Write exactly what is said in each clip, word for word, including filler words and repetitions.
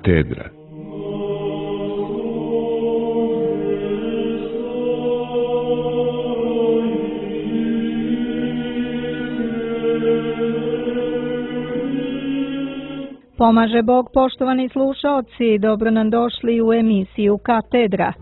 Katedra. Pomaže Bog, poštovani slušaoci, dobro nam došli u emisiju Katedra.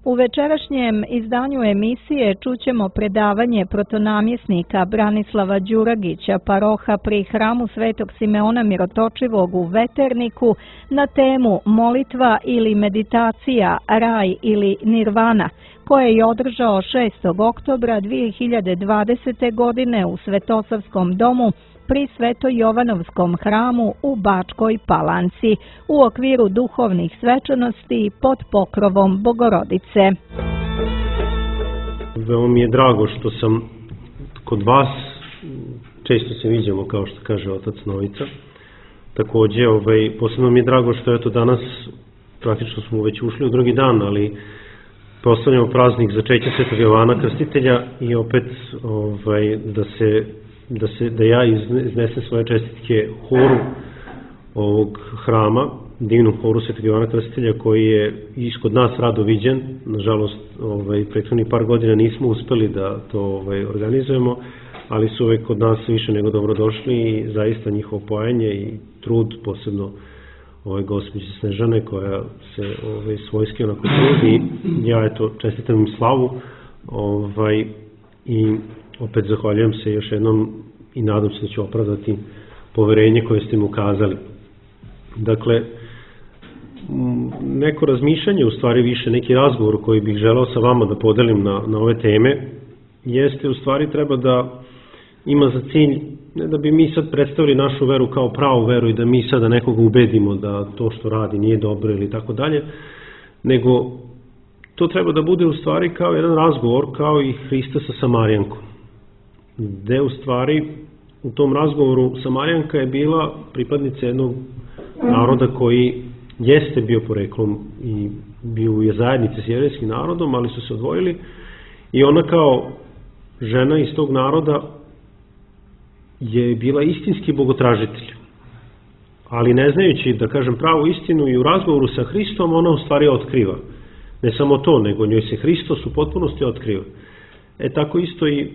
U večerašnjem izdanju emisije čućemo predavanje protonamjesnika Branislava Đuragića, paroha pri hramu Svetog Simeona Mirotočivog u Veterniku, na temu molitva ili meditacija, raj ili nirvana, koje je održao šestog oktobra dvije hiljade dvadesete. godine u Svetosavskom domu pri Sveto-Jovanovskom hramu u Bačkoj Palanci u okviru duhovnih svečanosti pod pokrovom Bogorodice. Veoma mi je drago što sam kod vas, često se viđamo kao što kaže otac Novica. Takođe, ovaj, posebno mi je drago što je to danas, praktično smo već ušli u drugi dan, ali proslavljamo praznik začeća Svetog Jovana Krstitelja i opet ovaj, da se Da, se, da ja iznesem svoje čestitke horu ovog hrama, divnom horu Svetog Jovana Krstitelja, koji je iskod nas rado viđen. Nažalost, ovaj, prethodnih par godina nismo uspeli da to ovaj, organizujemo, ali su uvek kod nas više nego dobro došli i zaista njihovo pojanje i trud, posebno ovaj, gospođe Snežane, koja se ovaj, svojski onako trudi. Ja eto, čestitam im slavu ovaj, i opet zahvaljujem se još jednom i nadam se da ću opravdati poverenje koje ste mi ukazali. Dakle, neko razmišljanje, u stvari više neki razgovor koji bih želeo sa vama da podelim na, na ove teme, jeste u stvari treba da ima za cilj, ne da bi mi sad predstavili našu veru kao pravu veru i da mi sada nekoga ubedimo da to što radi nije dobro ili tako dalje, nego to treba da bude u stvari kao jedan razgovor, kao i Hrista sa Samarijankom, gde u stvari u tom razgovoru Samarijanka je bila pripadnica jednog naroda koji jeste bio poreklom i bio je zajednice s jevrejskim narodom, ali su se odvojili i ona kao žena iz tog naroda je bila istinski bogotražitelj. Ali ne znajući, da kažem, pravu istinu i u razgovoru sa Hristom, ona u stvari otkriva. Ne samo to, nego njoj se Hristos u potpunosti otkriva. E tako isto i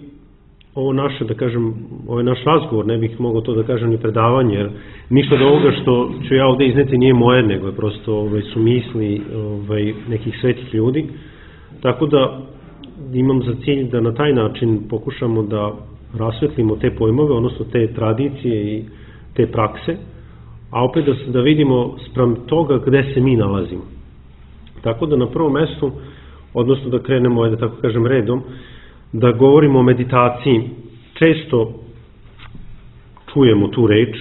ovo naše, da kažem, ovaj naš razgovor, ne bih mogao to da kažem ni predavanje, jer ništa od ovoga što ću ja ovde izneti nije moje, nego je prosto ovaj, su misli ovaj, nekih svetih ljudi. Tako da imam za cilj da na taj način pokušamo da rasvetlimo te pojmove, odnosno te tradicije i te prakse, a opet da, da vidimo sprem toga gde se mi nalazimo. Tako da na prvom mestu, odnosno da krenemo, da tako kažem, redom, da govorimo o meditaciji. Često čujemo tu reč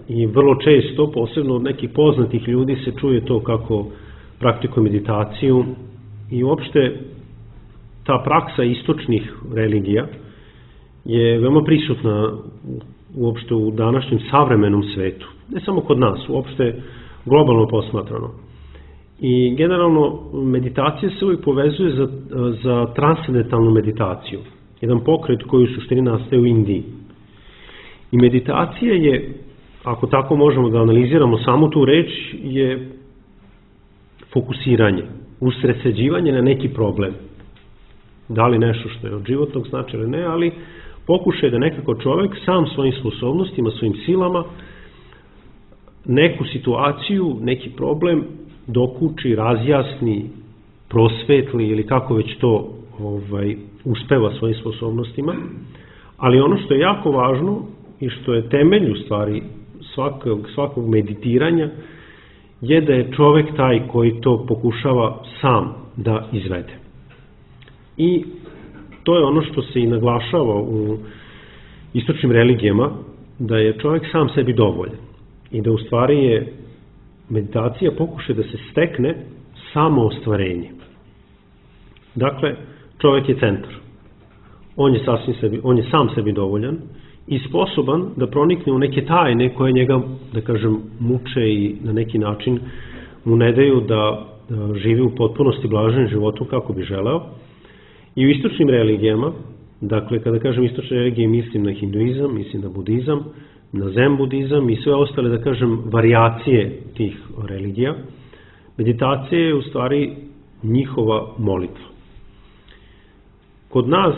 i vrlo često, posebno od nekih poznatih ljudi, se čuje to kako praktikuje meditaciju i uopšte ta praksa istočnih religija je veoma prisutna uopšte u današnjem savremenom svetu. Ne samo kod nas, uopšte globalno posmatrano. I generalno meditacija se uvijek povezuje za, za transcendentalnu meditaciju. Jedan pokret koji u suštini nastaje u Indiji. I meditacija je, ako tako možemo da analiziramo samo tu reč, je fokusiranje, usredsređivanje na neki problem. Da li nešto što je od životnog značaja ili ne, ali pokušaj da nekako čovek sam svojim sposobnostima, svojim silama neku situaciju, neki problem dokuči, razjasni, prosvetli ili kako već to ovaj, uspeva svojim sposobnostima. Ali ono što je jako važno i što je temelj u stvari svakog, svakog meditiranja je da je čovek taj koji to pokušava sam da izvede. I to je ono što se i naglašava u istočnim religijama, da je čovek sam sebi dovoljan i da u stvari je meditacija pokuša da se stekne samo ostvarenje. Dakle, čovek je centar. On je, sasvim sebi, on je sam sebi dovoljan i sposoban da pronikne u neke tajne koje njega, da kažem, muče i na neki način mu ne daju da, da živi u potpunosti blaženim životom kako bi želeo. I u istočnim religijama, dakle, kada kažem istočne religije, mislim na hinduizam, mislim na budizam, na zen budizam i sve ostale, da kažem, varijacije tih religija. Meditacija je u stvari njihova molitva. Kod nas,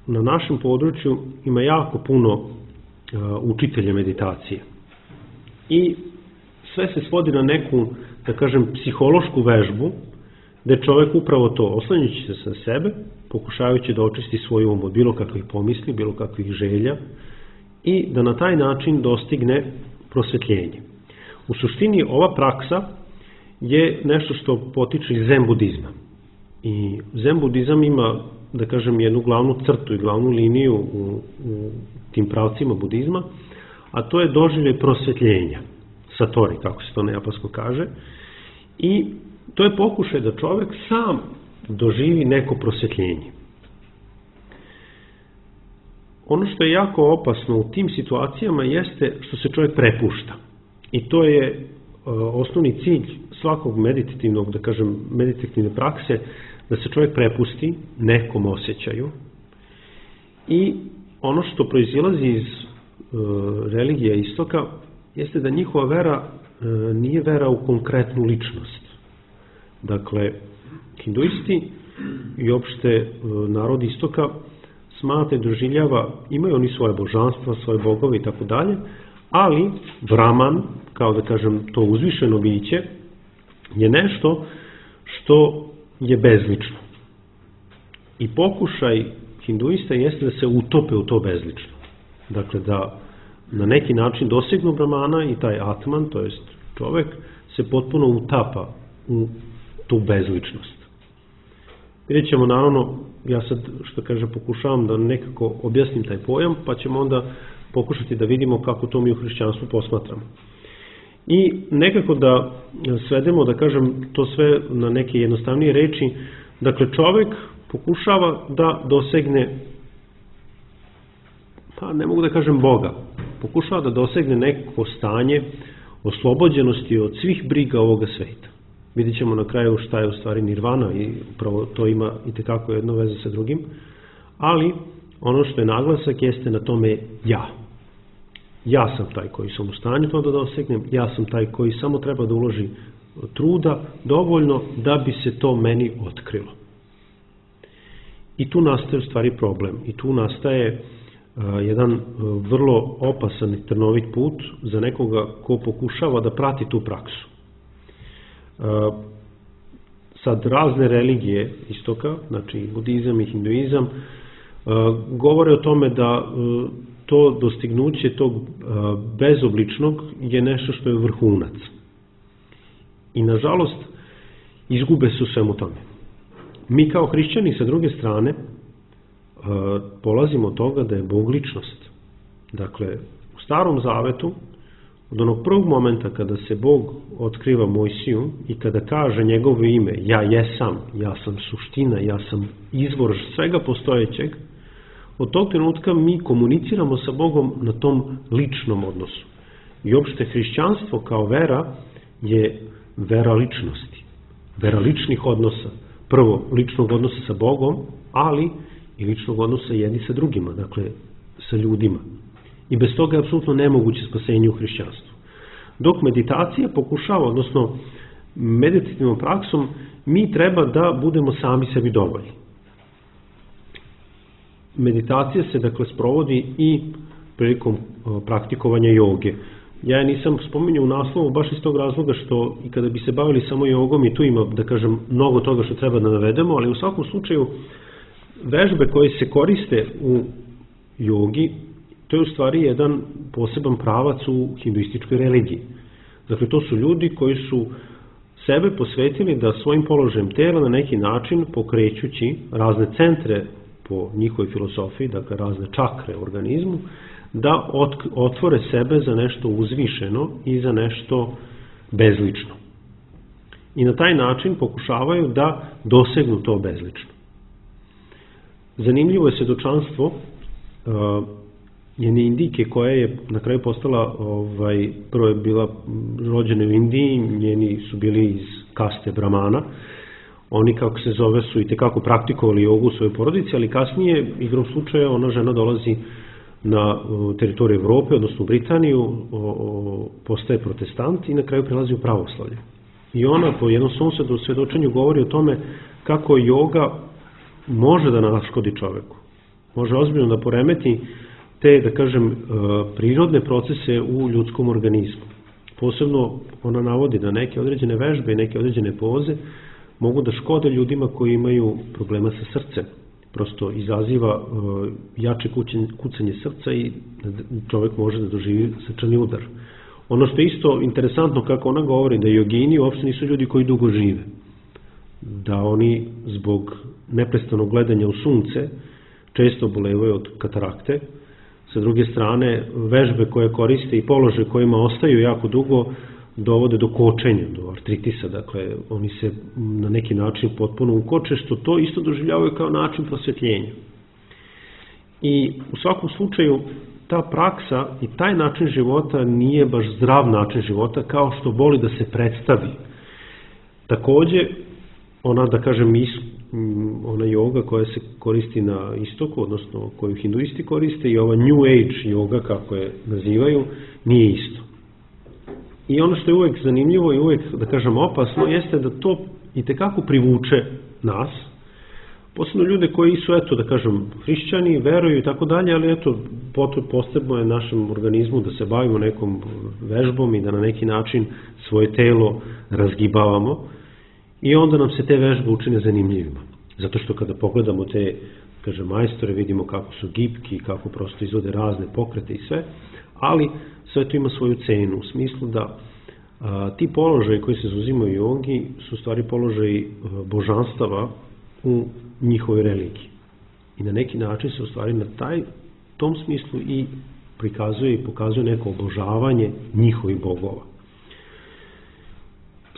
na našem području, ima jako puno učitelja meditacije. I sve se svodi na neku, da kažem, psihološku vežbu, gde čovek upravo to, oslanjajući se sa sebe, pokušavajući da očisti svoj um od bilo kakvih pomisli, bilo kakvih želja i da na taj način dostigne prosvetljenje. U suštini ova praksa je nešto što potiče iz zen budizma. I zen budizam ima, da kažem, jednu glavnu crtu i glavnu liniju u, u tim pravcima budizma, a to je doživljaj prosvetljenja, satori, kako se to na japansko kaže, i to je pokušaj da čovek sam doživi neko prosvetljenje. Ono što je jako opasno u tim situacijama jeste što se čovjek prepušta. I to je uh, osnovni cilj svakog meditativnog, da kažem, meditativne prakse, da se čovjek prepusti nekom osjećaju. I ono što proizilazi iz uh, religija istoka jeste da njihova vera uh, nije vera u konkretnu ličnost. Dakle, hinduisti i opšte uh, narod istoka smatra i doživljava, imaju oni svoje božanstva, svoje bogove i tako dalje, ali Brahman, kao da kažem to uzvišeno biće, je nešto što je bezlično. I pokušaj hinduista jeste da se utope u to bezlično. Dakle, da na neki način dosegnu Brahmana i taj Atman, to jest čovek, se potpuno utapa u tu bezličnost. Vidjet ćemo, naravno, ja sad, što kaže, pokušavam da nekako objasnim taj pojam, pa ćemo onda pokušati da vidimo kako to mi u hrišćanstvu posmatramo. I nekako da svedemo, da kažem, to sve na neke jednostavnije reči, dakle, čovek pokušava da dosegne, pa ne mogu da kažem Boga, pokušava da dosegne neko stanje oslobođenosti od svih briga ovoga sveta. Vidjet ćemo na kraju šta je u stvari nirvana i upravo to ima i tekako jedno veze sa drugim, ali ono što je naglasak jeste na tome ja. Ja sam taj koji sam u stanju to da dosegnem, ja sam taj koji samo treba da uloži truda dovoljno da bi se to meni otkrilo. I tu nastaje u stvari problem i tu nastaje uh, jedan uh, vrlo opasan i trnovit put za nekoga ko pokušava da prati tu praksu. Uh, sad razne religije istoka, znači budizam i hinduizam, uh, govore o tome da uh, to dostignuće tog uh, bezobličnog je nešto što je vrhunac. I nažalost izgube se u svemu tome. Mi kao hrišćani sa druge strane uh, polazimo od toga da je Bog ličnost. Dakle, u Starom Zavetu, od onog prvog momenta kada se Bog otkriva Mojsiju i kada kaže njegovo ime, ja jesam, ja sam suština, ja sam izvor svega postojećeg, od tog trenutka mi komuniciramo sa Bogom na tom ličnom odnosu. I uopšte hrišćanstvo kao vera je vera ličnosti, vera ličnih odnosa. Prvo, ličnog odnosa sa Bogom, ali i ličnog odnosa jedni sa drugima, dakle sa ljudima. I bez toga je apsolutno nemoguće spasenje u hrišćanstvu. Dok meditacija pokušava, odnosno meditativnom praksom, mi treba da budemo sami sebi dovoljni. Meditacija se, dakle, sprovodi i prilikom praktikovanja joge. Ja je nisam spominjao u naslovu baš iz tog razloga što i kada bi se bavili samo jogom i tu ima, da kažem, mnogo toga što treba da navedemo, ali u svakom slučaju vežbe koje se koriste u jogi, to je u stvari jedan poseban pravac u hinduističkoj religiji. Dakle, to su ljudi koji su sebe posvetili da svojim položajem tela na neki način, pokrećući razne centre po njihovoj filosofiji, dakle razne čakre u organizmu, da otvore sebe za nešto uzvišeno i za nešto bezlično. I na taj način pokušavaju da dosegnu to bezlično. Zanimljivo je svedočanstvo uh, jedne Indijke koja je na kraju postala, ovaj, prvo je bila rođena u Indiji, njeni su bili iz kaste Brahmana, oni, kako se zove, su i tekako praktikovali jogu u svojoj porodici, ali kasnije, igrom slučaja, ona žena dolazi na teritoriju Evrope, odnosno u Britaniju, o, o, postaje protestant i na kraju prelazi u pravoslavlje. I ona po jednom svom svedočenju govori o tome kako joga može da naškodi čoveku. Može ozbiljno da poremeti te, da kažem, prirodne procese u ljudskom organizmu. Posebno ona navodi da neke određene vežbe i neke određene poze mogu da škode ljudima koji imaju problema sa srcem. Prosto izaziva jače kucanje srca i čovjek može da doživi srčani udar. Ono što je isto interesantno kako ona govori, da jogini uopšte nisu ljudi koji dugo žive. Da oni zbog neprestanog gledanja u sunce često bolevaju od katarakte. Sa druge strane, vežbe koje koriste i položaje kojima ostaju jako dugo dovode do kočenja, do artritisa, dakle oni se na neki način potpuno ukoče, što to isto doživljavaju kao način prosvjetljenja. I u svakom slučaju ta praksa i taj način života nije baš zdrav način života kao što voli da se predstavi. Takođe, ona, da kažem, ona joga koja se koristi na istoku, odnosno koju hinduisti koriste, i ova New Age joga, kako je nazivaju, nije isto. I ono što je uvek zanimljivo i uvek, da kažem, opasno, jeste da to itekako privuče nas, posebno ljude koji su, eto, da kažem, hrišćani, veruju i tako dalje, ali eto, potrebno je našem organizmu da se bavimo nekom vežbom i da na neki način svoje telo razgibavamo i onda nam se te vežbe učine zanimljivima. Zato što kada pogledamo te, kažem, majstore, vidimo kako su gibki, kako prosto izvode razne pokrete i sve, ali sve to ima svoju cenu, u smislu da a, ti položaji koji se zauzimaju u jogi su stvari položaji božanstava u njihovoj religiji. I na neki način se u stvari na taj, tom smislu i prikazuje i pokazuje neko obožavanje njihovih bogova.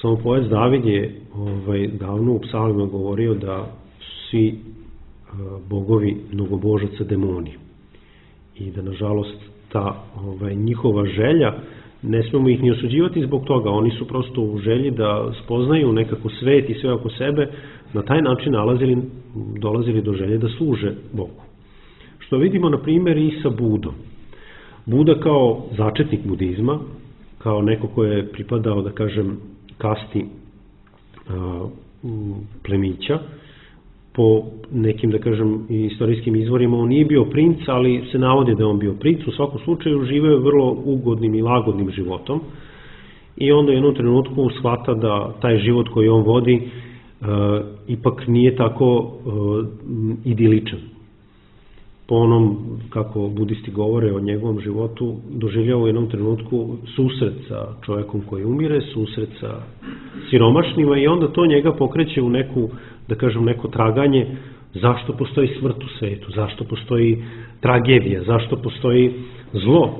Samo poet David je ovaj, davno u psalmima govorio da su svi a, bogovi mnogobožaca demoni. I da, nažalost, ta ovaj, njihova želja, ne smemo ih ni osuđivati zbog toga, oni su prosto u želji da spoznaju nekako svet i sve oko sebe, na taj način nalazili, dolazili do želje da služe Bogu. Što vidimo, na primjer, i sa Budom. Buda kao začetnik budizma, kao neko ko je pripadao, da kažem, kasti a, plemića, po nekim, da kažem, istorijskim izvorima on nije bio princ, ali se navodi da je on bio princ, u svakom slučaju živeo je vrlo ugodnim i lagodnim životom i onda u jednom trenutku shvata da taj život koji on vodi e, ipak nije tako e, idiličan. Po onom, kako budisti govore o njegovom životu, doživljava u jednom trenutku susret sa čovjekom koji umire, susret sa siromašnima i onda to njega pokreće u neku, da kažem, neko traganje zašto postoji smrt u svetu, zašto postoji tragedija, zašto postoji zlo.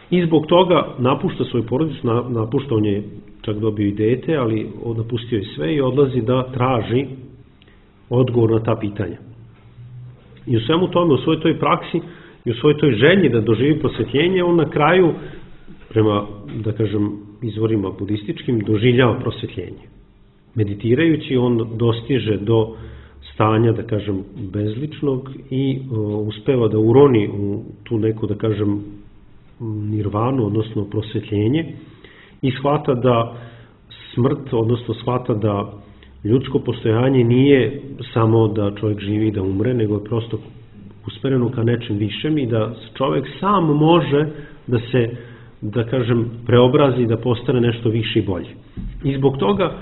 I zbog toga napušta svoju porodicu, napušta, on je čak dobio i dete, ali napustio je sve i odlazi da traži odgovor na ta pitanja. I u svemu tome, u svojoj toj praksi i u svojoj toj želji da doživi prosvetljenje, on na kraju, prema, da kažem, izvorima budističkim, doživljava prosvetljenje. Meditirajući, on dostiže do stanja, da kažem, bezličnog i uh, uspeva da uroni u tu neku, da kažem, nirvanu, odnosno prosvetljenje, i shvata da smrt, odnosno shvata da ljudsko postojanje nije samo da čovjek živi i da umre, nego je prosto usmereno ka nečem višem i da čovjek sam može da se, da kažem, preobrazi, da postane nešto više i bolje. I zbog toga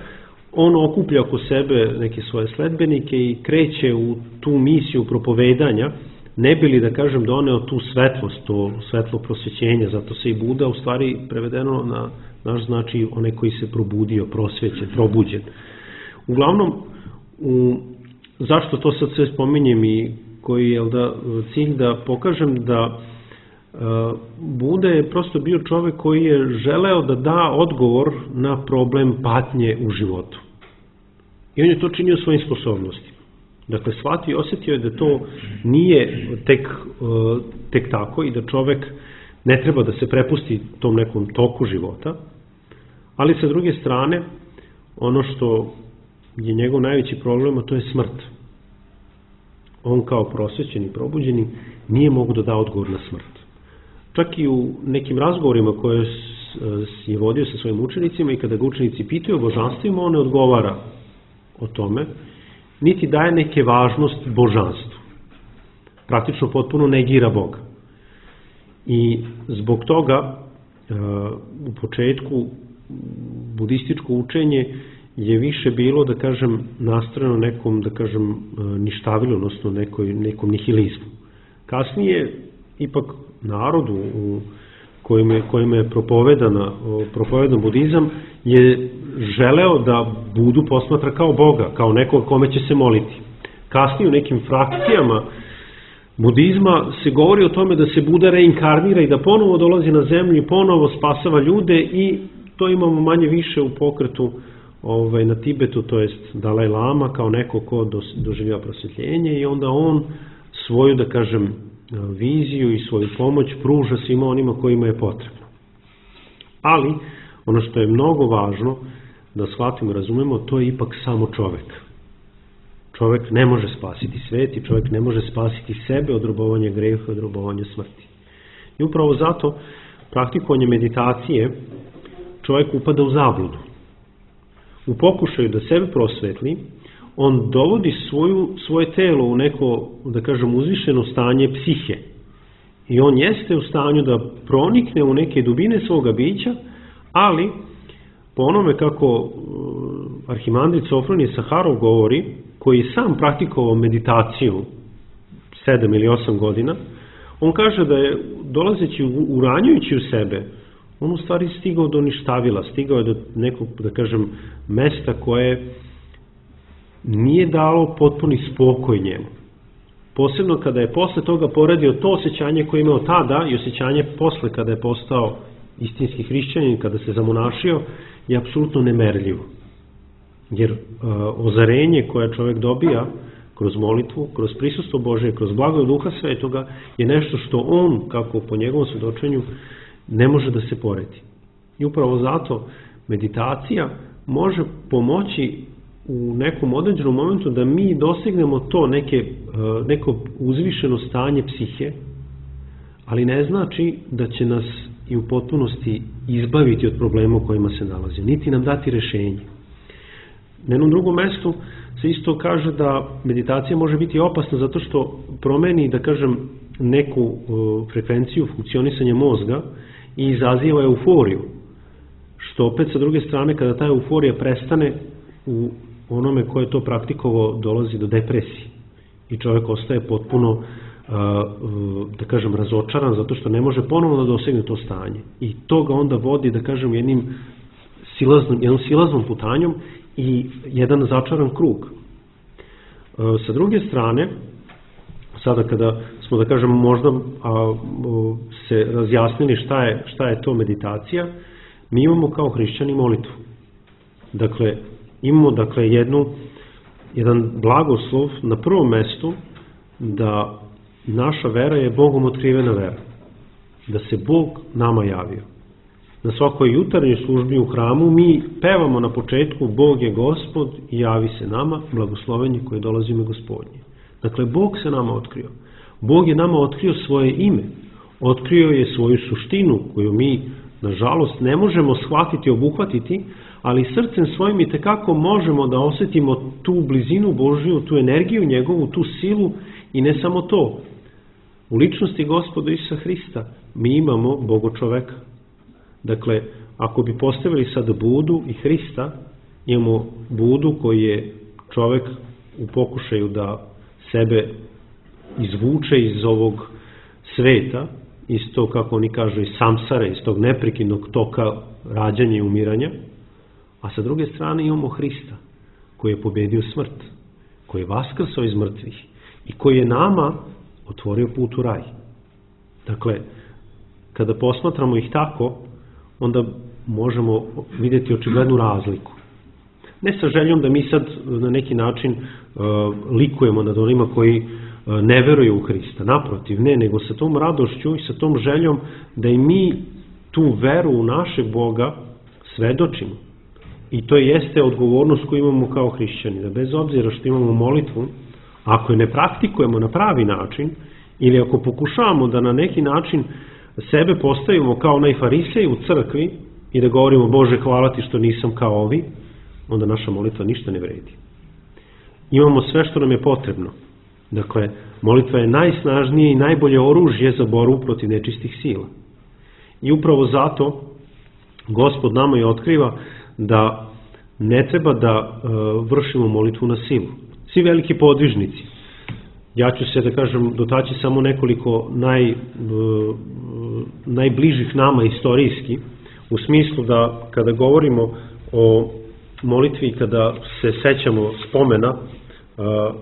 on okuplja oko sebe neke svoje sledbenike i kreće u tu misiju propovedanja, ne bi li, da kažem, doneo tu svetlost, to svetlo prosvećenja, zato se i Buda u stvari prevedeno na naš znači onaj koji se probudio, prosvećen, probuđen. Uglavnom, u, zašto to sad sve spominjem i koji je da, cilj da pokažem da uh, Buda je prosto bio čovjek koji je želeo da da odgovor na problem patnje u životu. I on je to činio svojim sposobnostima. Dakle, shvatio i osjetio je da to nije tek, uh, tek tako i da čovjek ne treba da se prepusti tom nekom toku života, ali sa druge strane, ono što je njegov najveći problem, a to je smrt. on kao prosvećeni i probuđeni nije mogu da da odgovor na smrt. Čak i u nekim razgovorima koje je vodio sa svojim učenicima i kada ga učenici pitaju o božanstvima, on ne odgovara o tome, niti daje neke važnost božanstvu. Praktično potpuno negira Boga. I zbog toga u početku budističko učenje je više bilo, da kažem, nastrojeno nekom, da kažem, ništavilu, odnosno nekoj, nekom nihilizmu. Kasnije, ipak, narodu u kojima je, kojima je propovedana, propovedan budizam je želeo da Budu posmatra kao Boga, kao nekog kome će se moliti. Kasnije u nekim frakcijama budizma se govori o tome da se Buda reinkarnira i da ponovo dolazi na zemlju i ponovo spasava ljude, i to imamo manje više u pokretu ovaj, na Tibetu, to jest Dalaj Lama kao neko ko doživljava prosvjetljenje, i onda on svoju, da kažem, viziju i svoju pomoć pruža svima onima kojima je potrebno. Ali, ono što je mnogo važno da shvatimo i razumemo, to je ipak samo čovek. Čovek ne može spasiti svet i čovek ne može spasiti sebe od robovanja greha i od robovanja smrti. I upravo zato praktikovanje meditacije čovek upada u zabludu. U pokušaju da sebe prosvetli, on dovodi svoju, svoje telo u neko, da kažem, uzvišeno stanje psihe. I on jeste u stanju da pronikne u neke dubine svoga bića, ali po onome kako arhimandrit Sofronije Saharov govori, koji je sam praktikovao meditaciju sedam ili osam godina, on kaže da je, dolazeći, uranjujući u sebe, on u stvari stigao do ništavila, stigao je do nekog, da kažem, mesta koje nije dalo potpuni spokoj njemu. Posebno kada je posle toga poredio to osjećanje koje je imao tada i osjećanje posle kada je postao istinski hrišćanin, kada se zamonašio, je apsolutno nemerljivo. Jer uh, ozarenje koje čovjek dobija kroz molitvu, kroz prisustvo Božje, kroz blago Duha Svetoga, je nešto što on, kako po njegovom svedočenju, ne može da se poredi. I upravo zato meditacija može pomoći u nekom određenom momentu da mi dosegnemo to neke, neko uzvišeno stanje psihe, ali ne znači da će nas i u potpunosti izbaviti od problema u kojima se nalazi, niti nam dati rešenje. Na jednom drugom mestu se isto kaže da meditacija može biti opasna zato što promeni, da kažem, neku frekvenciju funkcionisanja mozga i izaziva euforiju, što opet sa druge strane, kada ta euforija prestane, u onome ko je to praktikovao dolazi do depresije i čovjek ostaje potpuno, da kažem, razočaran zato što ne može ponovno da dosegne to stanje, i to ga onda vodi, da kažem, jednim silaznom, jednom silaznom putanjom i jedan začaran krug. Sa druge strane, sada kada smo, da kažem, možda a, se razjasnili šta je, šta je to meditacija, mi imamo kao hrišćani molitvu. Dakle, imamo, dakle, jednu, jedan blagoslov na prvom mestu da naša vera je Bogom otkrivena vera, da se Bog nama javio. Na svakoj jutarnjoj službi u hramu mi pevamo na početku Bog je Gospod i javi se nama, blagoslovenje koje dolazi ime Gospodnje. Dakle, Bog se nama otkrio. Bog je nama otkrio svoje ime, otkrio je svoju suštinu koju mi, nažalost, ne možemo shvatiti, obuhvatiti, ali srcem svojim i tekako možemo da osjetimo tu blizinu Božju, tu energiju njegovu, tu silu, i ne samo to. U ličnosti Gospoda Isusa Hrista mi imamo Bogo čoveka. Dakle, ako bi postavili sad Budu i Hrista, imamo Budu koji je čovek u pokušaju da sebe izvuče iz ovog sveta, iz tog, kako oni kažu, iz samsare, iz tog neprekidnog toka rađanja i umiranja, a sa druge strane imamo Hrista koji je pobedio smrt, koji je vaskrsao iz mrtvih i koji je nama otvorio put u raj. Dakle, kada posmatramo ih tako, onda možemo vidjeti očiglednu razliku. Ne sa željom da mi sad na neki način uh, likujemo nad onima koji uh, ne veruju u Hrista. Naprotiv, ne, nego sa tom radošću i sa tom željom da i mi tu veru u našeg Boga svedočimo. I to jeste odgovornost koju imamo kao hrišćani, da bez obzira što imamo molitvu, ako je ne praktikujemo na pravi način, ili ako pokušavamo da na neki način sebe postavimo kao onaj farisej u crkvi i da govorimo Bože hvala ti što nisam kao ovi, onda naša molitva ništa ne vredi. Imamo sve što nam je potrebno. Dakle, molitva je najsnažnije i najbolje oružje za borbu protiv nečistih sila. I upravo zato Gospod nama je otkriva da ne treba da uh, vršimo molitvu na silu. Svi veliki podvižnici, ja ću se da kažem dotaći samo nekoliko naj, uh, najbližih nama istorijski, u smislu da kada govorimo o molitvi, kada se sećamo spomena uh,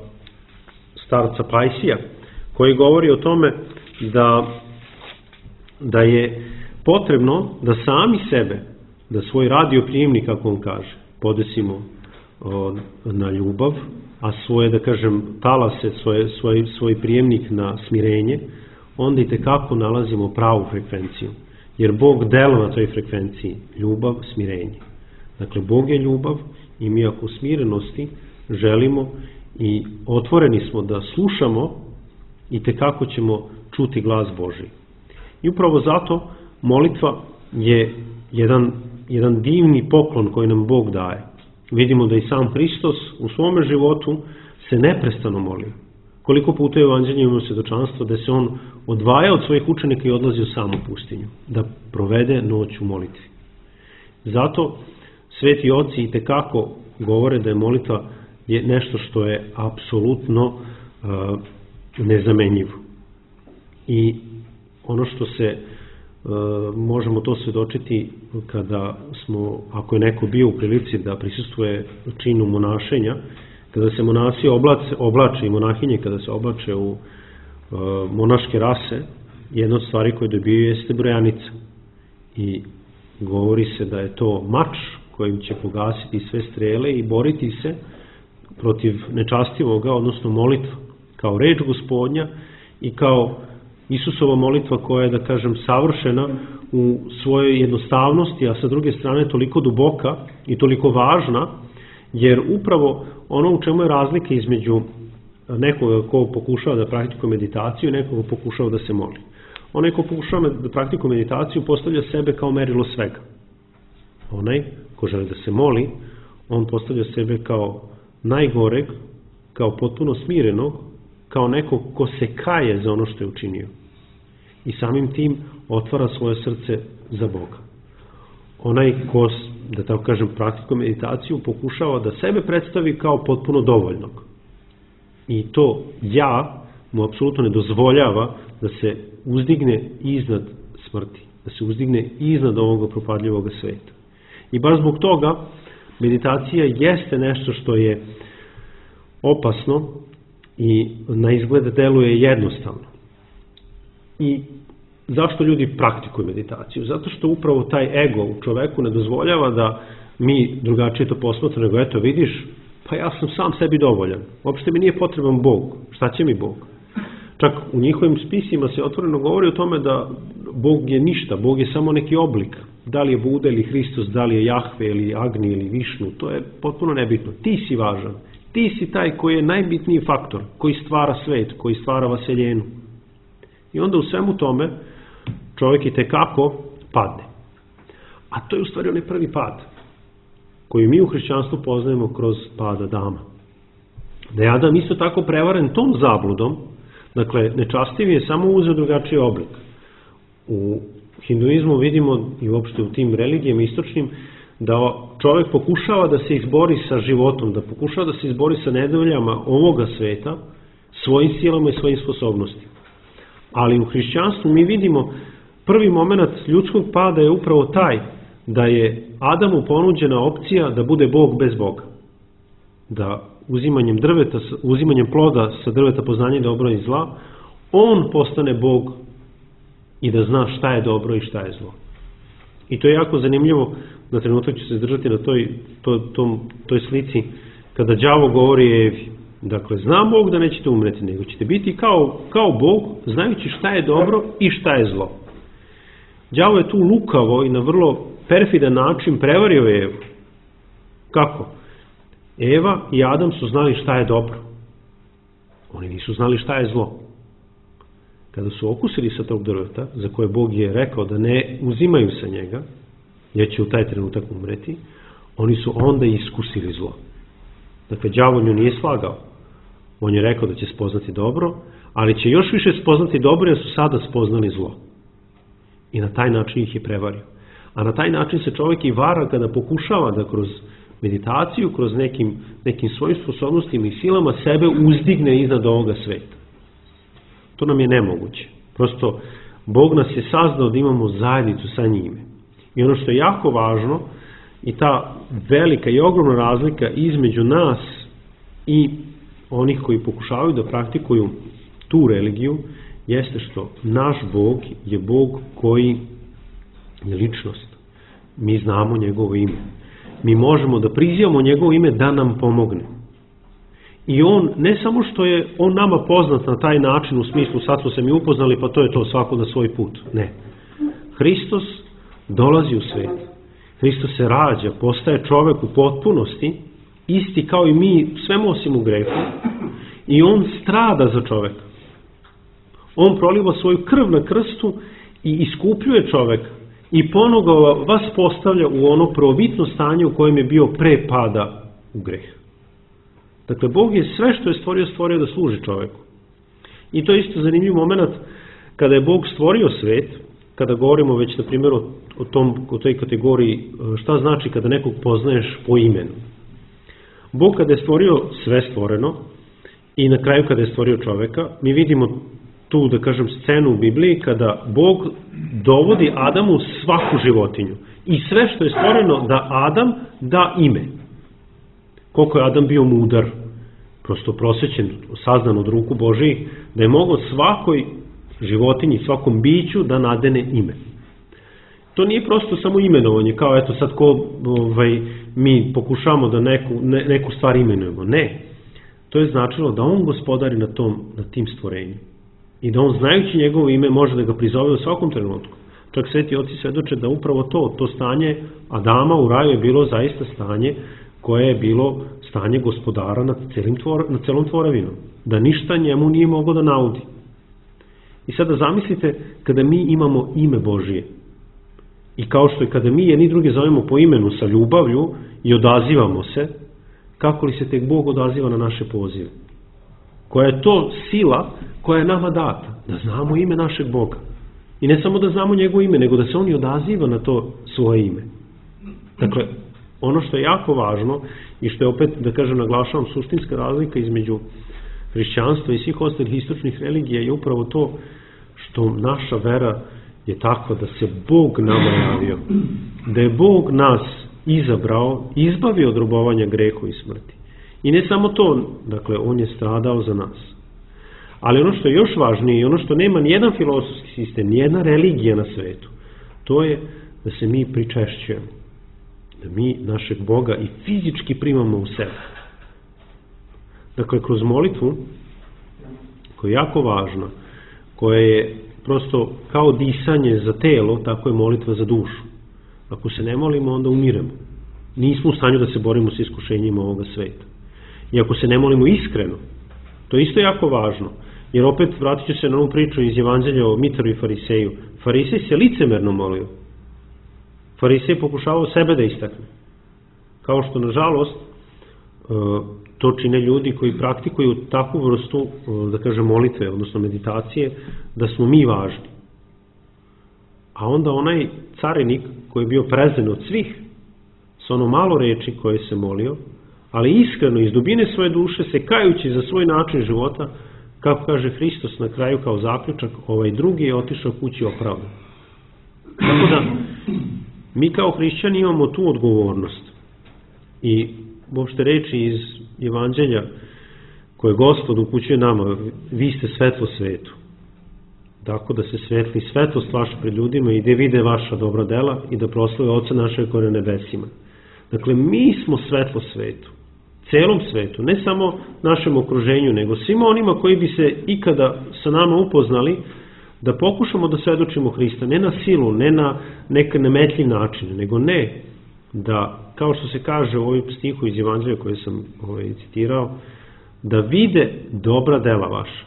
starca Pajsija, koji govori o tome da, da je potrebno da sami sebe, da svoj radioprijemnik, kako on kaže, podesimo o, na ljubav, a svoje, da kažem, talase, svoje, svoj, svoj prijemnik na smirenje, onda i tekako nalazimo pravu frekvenciju. Jer Bog dela na toj frekvenciji, ljubav, smirenje. Dakle, Bog je ljubav i mi ako u smirenosti želimo i otvoreni smo da slušamo i tekako ćemo čuti glas Božji. I upravo zato molitva je jedan, jedan divni poklon koji nam Bog daje. Vidimo da i sam Hristos u svome životu se neprestano moli. Koliko puta je u Evanđelju imamo svedočanstvo da se on odvaja od svojih učenika i odlazi u samu pustinju, da provede noć u molitvi. Zato sveti oci i tekako govore da je molitva je nešto što je apsolutno uh, nezamenjivo. I ono što se uh, možemo to svedočiti kada smo, ako je neko bio u prilici da prisustvuje činu monašenja, kada se monasi oblače, oblače i monahinje kada se oblače u uh, monaške rase, jedna od stvari koje dobiju jeste brojanica. I govori se da je to mač kojim će pogasiti sve strele i boriti se protiv nečastivoga, odnosno molitva, kao reč Gospodnja i kao Isusova molitva koja je, da kažem, savršena u svojoj jednostavnosti, a sa druge strane toliko duboka i toliko važna, jer upravo ono u čemu je razlika između nekoga ko pokušava da praktikuje meditaciju i nekoga ko pokušava da se moli. Onaj ko pokušava da praktikuje meditaciju postavlja sebe kao merilo svega. Onaj ko želi da se moli, on postavlja sebe kao najgoreg, kao potpuno smirenog, kao nekog ko se kaje za ono što je učinio. I samim tim otvara svoje srce za Boga. Onaj ko, da tako kažem, praktikuje meditaciju, pokušava da sebe predstavi kao potpuno dovoljnog. I to ja mu apsolutno ne dozvoljava da se uzdigne iznad smrti, da se uzdigne iznad ovoga propadljivog sveta. I baš zbog toga meditacija jeste nešto što je opasno i na izgled deluje jednostavno. I zašto ljudi praktikuju meditaciju? Zato što upravo taj ego u čoveku ne dozvoljava da mi drugačije to posmatramo, nego eto vidiš, pa ja sam sam sebi dovoljan. Uopšte mi nije potreban Bog. Šta će mi Bog? Čak u njihovim spisima se otvoreno govori o tome da Bog je ništa, Bog je samo neki oblik. Da li je Buda ili Hristos, da li je Jahve ili Agni ili Višnu, to je potpuno nebitno. Ti si važan. Ti si taj koji je najbitniji faktor, koji stvara svet, koji stvara vaseljenu. I onda u svemu tome čovjek i tekako padne. A to je u stvari onaj prvi pad, koji mi u hrišćanstvu poznajemo kroz pad Adama. Da je Adam isto tako prevaren tom zabludom, dakle, nečastivi je samo uzeo drugačiji oblik. U hinduizmu vidimo i uopšte u tim religijama istočnim da čovjek pokušava da se izbori sa životom, da pokušava da se izbori sa nedovoljama ovoga sveta svojim silama i svojim sposobnostima. Ali u hrišćanstvu mi vidimo prvi moment ljudskog pada je upravo taj da je Adamu ponuđena opcija da bude Bog bez Boga. Da uzimanjem drveta, uzimanjem ploda sa drveta poznanja dobra i zla, on postane Bog i da zna šta je dobro i šta je zlo. I to je jako zanimljivo, na trenutak ću se zdržati na toj, to, tom, toj slici, kada đavo govori Evi, dakle, zna Bog da nećete umreti, nego ćete biti kao, kao Bog, znajući šta je dobro i šta je zlo. Đavo je tu lukavo i na vrlo perfidan način prevario Evu. Kako? Eva i Adam su znali šta je dobro. Oni nisu znali šta je zlo. Kada su okusili sa tog drveta, za koje Bog je rekao da ne uzimaju sa njega, jer će u taj trenutak umreti, oni su onda iskusili zlo. Dakle, đavo nju nije slagao. On je rekao da će spoznati dobro, ali će još više spoznati dobro jer su sada spoznali zlo. I na taj način ih je prevario. A na taj način se čovjek i vara kada pokušava da kroz meditaciju, kroz nekim, nekim svojim sposobnostima i silama sebe uzdigne iznad ovoga sveta. To nam je nemoguće. Prosto, Bog nas je sazdao da imamo zajednicu sa njime. I ono što je jako važno, i ta velika i ogromna razlika između nas i onih koji pokušavaju da praktikuju tu religiju, jeste što naš Bog je Bog koji je ličnost. Mi znamo njegovo ime. Mi možemo da prizivamo njegovo ime da nam pomogne. I on, ne samo što je on nama poznat na taj način, u smislu sad smo se mi upoznali, pa to je to, svako na svoj put. Ne. Hristos dolazi u svet. Hristos se rađa, postaje čovek u potpunosti, isti kao i mi, svemu osim u grehu, i on strada za čoveka. On proliva svoju krv na krstu i iskupljuje čoveka i ponovo vas postavlja u ono prvobitno stanje u kojem je bio pre pada u greh. Dakle, Bog je sve što je stvorio, stvorio da služi čoveku. I to je isto zanimljiv moment kada je Bog stvorio svet, kada govorimo već na primjer o, o, tom, o toj kategoriji šta znači kada nekog poznaješ po imenu. Bog kada je stvorio sve stvoreno i na kraju kada je stvorio čoveka, mi vidimo tu, da kažem, scenu u Bibliji kada Bog dovodi Adamu svaku životinju i sve što je stvoreno da Adam da ime. Koliko je Adam bio mudar, prosto prosvećen, saznan od ruku Božiji, da je mogao svakoj životinji, svakom biću da nadene ime. To nije prosto samo imenovanje, kao eto sad ko ovaj, mi pokušamo da neku, ne, neku stvar imenujemo. Ne, to je značilo da on gospodari na, tom, na tim stvorenjem. I da on, znajući njegovo ime, može da ga prizove u svakom trenutku. Čak sveti oci svedoče da upravo to, to stanje Adama u raju je bilo zaista stanje koje je bilo stanje gospodara nad, celim tvor, nad celom tvorevinom. Da ništa njemu nije moglo da naudi. I sada zamislite kada mi imamo ime Božije. I kao što je kada mi jedni druge zovemo po imenu sa ljubavlju i odazivamo se, kako li se tek Bog odaziva na naše pozive? Koja je to sila koja je nama data, da znamo ime našeg Boga. I ne samo da znamo njegovo ime, nego da se on i odaziva na to svoje ime. Dakle, ono što je jako važno i što je opet, da kažem, naglašavam, suštinska razlika između hrišćanstva i svih ostalih istočnih religija je upravo to što naša vera je takva da se Bog nama javio, da je Bog nas izabrao, izbavio od robovanja grehu i smrti. I ne samo to, dakle, on je stradao za nas. Ali ono što je još važnije i ono što nema nijedan filozofski sistem, nijedna religija na svetu, to je da se mi pričešćujemo. Da mi našeg Boga i fizički primamo u sebe. Dakle, kroz molitvu, koja je jako važna, koja je prosto kao disanje za telo, tako je molitva za dušu. Ako se ne molimo, onda umiremo. Nismo u stanju da se borimo s iskušenjima ovoga sveta. I ako se ne molimo iskreno, to je isto jako važno. Jer opet vratit ću se na ovu priču iz Evanđelja o Mitru i Fariseju. Farisej se licemerno molio. Farisej pokušavao sebe da istakne. Kao što, nažalost, to čine ljudi koji praktikuju takvu vrstu, da kažem, molitve, odnosno meditacije, da smo mi važni. A onda onaj carinik koji je bio prezen od svih, sa ono malo reči koje se molio, ali iskreno, iz dubine svoje duše, se kajući za svoj način života, kako kaže Hristos na kraju kao zaključak, ovaj drugi je otišao kući opravdan. Tako da, mi kao hrišćani imamo tu odgovornost. I uopšte reči iz Evanđelja koje Gospod upućuje nama, vi ste svetlo svetu. Tako da se svetli svetlost vaša pred ljudima i da vide vaša dobra dela i da proslave Oca našeg koji je na nebesima. Dakle, mi smo svetlo svetu. Celom svetu, ne samo našem okruženju, nego svima onima koji bi se ikada sa nama upoznali, da pokušamo da svedočimo Hrista, ne na silu, ne na neke nametljiv način, nego ne da, kao što se kaže u ovom stihu iz Evanđelja koje sam ovaj, citirao, da vide dobra dela vaša.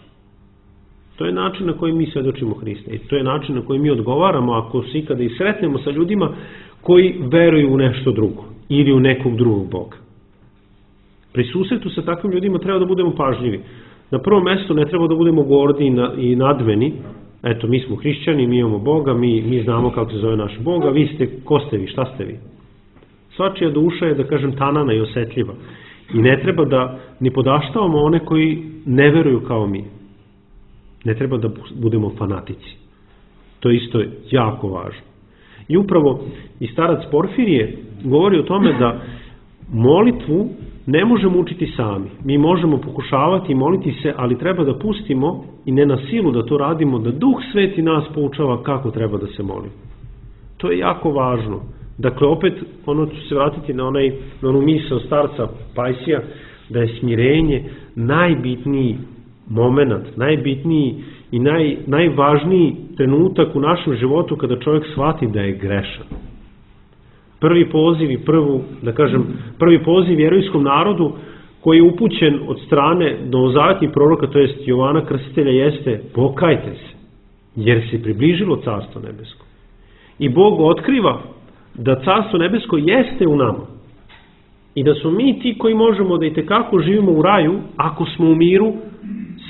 To je način na koji mi svedočimo Hrista i to je način na koji mi odgovaramo ako se ikada i sretnemo sa ljudima koji veruju u nešto drugo ili u nekog drugog Boga. Pri susretu sa takvim ljudima treba da budemo pažljivi. Na prvom mestu ne treba da budemo gordi i nadmeni. Eto, mi smo hrišćani, mi imamo Boga, mi, mi znamo kako se zove naš Bog, a vi ste, ko ste vi, šta ste vi? Svačija duša je, da kažem, tanana i osetljiva. I ne treba da ni podaštavamo one koji ne veruju kao mi. Ne treba da budemo fanatici. To isto je jako važno. I upravo i starac Porfirije govori o tome da molitvu ne možemo učiti sami. Mi možemo pokušavati i moliti se, ali treba da pustimo i ne na silu da to radimo, da Duh Sveti nas poučava kako treba da se molimo. To je jako važno. Dakle, opet, ono ću se vratiti na, onaj, na onu misao starca Pajsija, da je smirenje najbitniji moment, najbitniji i naj, najvažniji trenutak u našem životu kada čovjek shvati da je grešan. Prvi poziv i prvu, da kažem, prvi poziv vjerujskom narodu koji je upućen od strane novozavetnih proroka, to jest Jovana Krstitelja, jeste pokajte se, jer se približilo Carstvo nebesko. I Bog otkriva da Carstvo nebesko jeste u nama i da smo mi ti koji možemo da itekako živimo u raju ako smo u miru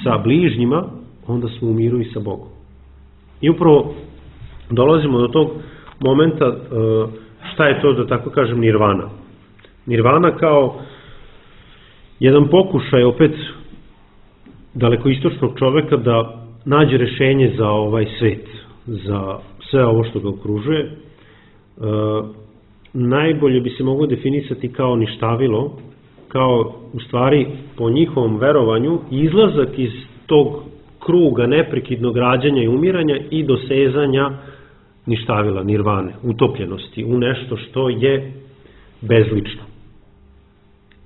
sa bližnjima, onda smo u miru i sa Bogom. I upravo dolazimo do tog momenta šta je to, da tako kažem, nirvana. Nirvana kao jedan pokušaj opet dalekoistočnog čoveka da nađe rešenje za ovaj svet, za sve ovo što ga okružuje. E, najbolje bi se moglo definisati kao ništavilo, kao u stvari po njihovom verovanju izlazak iz tog kruga neprekidnog rađanja i umiranja i dosezanja ništavila, nirvane, utopljenosti u nešto što je bezlično.